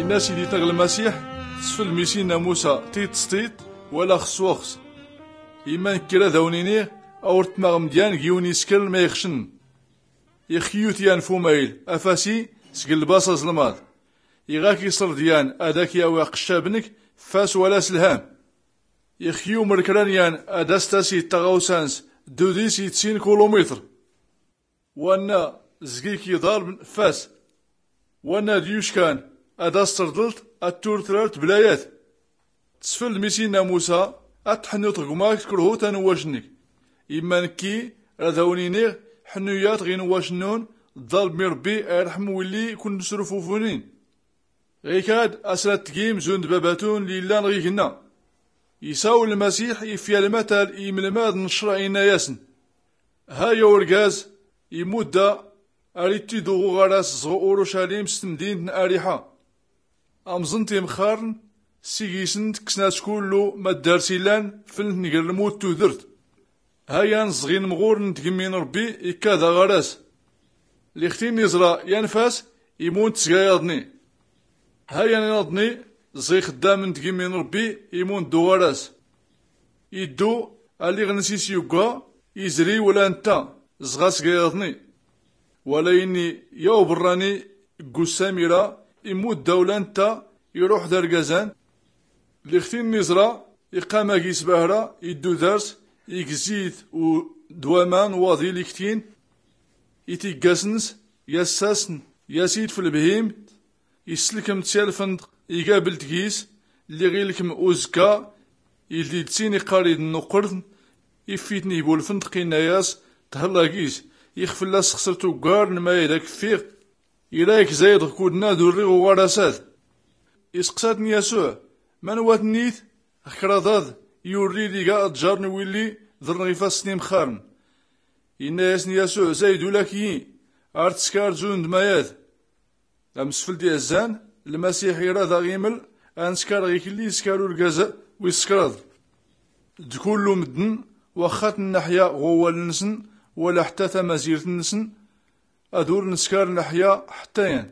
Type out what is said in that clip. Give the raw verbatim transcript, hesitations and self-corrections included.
Inna siditneɣ lmasiḥ, tesfel mi sinna musa tiṭṭes tiṭṭ, wala xs waxs. Imma nkki rad awn-iniɣ, awr tmaɣ mdyan g-iwn iskrn ma ixcn. Ixyyu-t yan f umayl, afasi sg lbaṣ aẓlmaḍ. Iɣ ak-iṣrd yan ad ak-yawi aqccab-nk, fas wala s lham. Ixyyu mrkran yan ad as-tasid taɣawsa-ns d udis i tsin kulumiṭr. Wanna zg-ik iḍalbn, fas. Wanna d-yuckan ad as-trḍlt ad turtrar tblayat. Tesfld mi sinna musa, ad tḥnut ɣ gma-k, tkrhut anwwac-nk. Imma nkki rad awn-iniɣ, ḥnuyat ɣ inwwac-nnun, ḍalbm i Rbbi a irḥm willi kun-srufufun-in. Ɣikad as-rad tgim zund babatun lli illan ɣ ignna. Isawl lmasiḥ ifya lmatal i imlmadn n ccṛeɛ, inna-yasn: Ha ya urgaz, imudda ar ittidu ɣ uɣaras zɣ urucalim s tmdint n ariḥa. Amẓn timxxarn, sigi-sn kksan-as kullu ma ddars illan, fln-tn gr lmut tudrt. Ha yan zɣ inmɣurn n tgmmi n Rbbi ikkad aɣaras. Lli xt-in-iẓra yan fas, imun-t sg ayaḍni. Ha yan inaḍni zɣ ixddamn n tgmmi n Rbbi, imun-t d uɣaras. Iddu, alliɣ-ns is yugga, izri wla ntta, zɣ-as g ayaḍni. Wala ini ya ubrrani, ggussam ira, imudda wla ntta, iruḥ d argazan. Lli xt-in-iẓra, iqqam agi s bahra, iddu dars, igzi-t d waman waḍi lli kt-in, itiggas-ns, yassasn, yasid f lbhimt, isslkm-t sya lfndq, igabl-t gis, lli ɣ ilkm uzkka, ildi-d sin iqqar-id nnuqqrtn, iff-itn i bu lfndq, inna-yas: Thlla gis, ix fllas xsrt uggar n mayad ak-ffiɣ, ira-k zayd ɣ kuddn ad urriɣ uɣaras-ad. Isqsa-tn Yasuɛ: Manwa-tnnit? Ɣ kraḍ-ad yurri-d iga aḍjar n willi ḍrn ɣ ifassn imxxarn. Inna-yasn Yasuɛ: Zayd ula k-iyi, ar tskar zund mayad. Amsfld izzan, lmasiḥ ira daɣ iml a nskar ɣ iklli iskar urgaz wis kraḍ. D kullu mddn, waxxa tnnaḥya ɣ wawal-nsn, wala ḥtta tamazirt-nsn, ad ur nskar nnaḥya ḥtta yan.